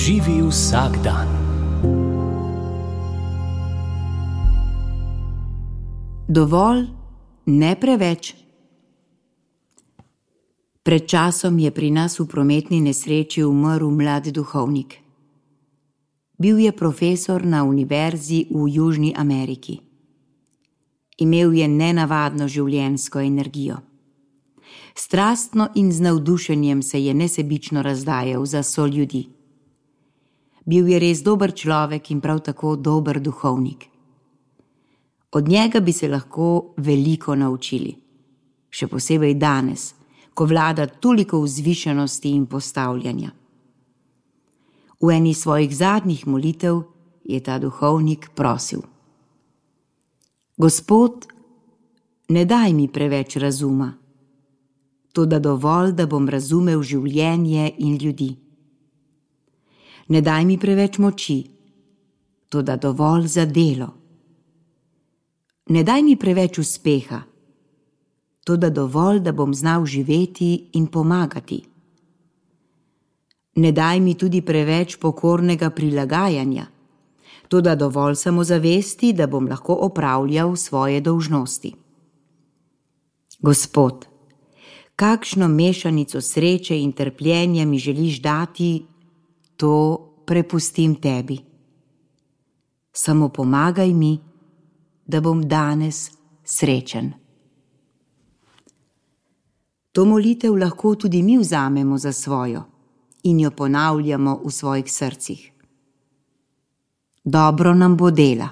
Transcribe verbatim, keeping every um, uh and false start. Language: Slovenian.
Živi vsak dan. Dovolj, ne preveč. Pred časom je pri nas v prometni nesreči umrl mlad duhovnik. Bil je profesor na univerzi v Južni Ameriki. Imel je nenavadno življenjsko energijo. Strastno in z navdušenjem se je nesebično razdajal za soljudi. Bil je res dober človek in prav tako dober duhovnik. Od njega bi se lahko veliko naučili, še posebej danes, ko vlada toliko vzvišenosti in postavljanja. V eni svojih zadnjih molitev je ta duhovnik prosil: Gospod, ne daj mi preveč razuma, toda dovolj, da bom razumel življenje in ljudi. Ne daj mi preveč moči, toda dovolj za delo. Ne daj mi preveč uspeha, toda dovolj, da bom znal živeti in pomagati. Ne daj mi tudi preveč pokornega prilagajanja, toda dovolj samozavesti, da bom lahko opravljal svoje dolžnosti. Gospod, kakšno mešanico sreče in trpljenja mi želiš dati, to prepustim tebi. Samo pomagaj mi, da bom danes srečen. To molitev lahko tudi mi vzamemo za svojo in jo ponavljamo v svojih srcih. Dobro nam bo dela.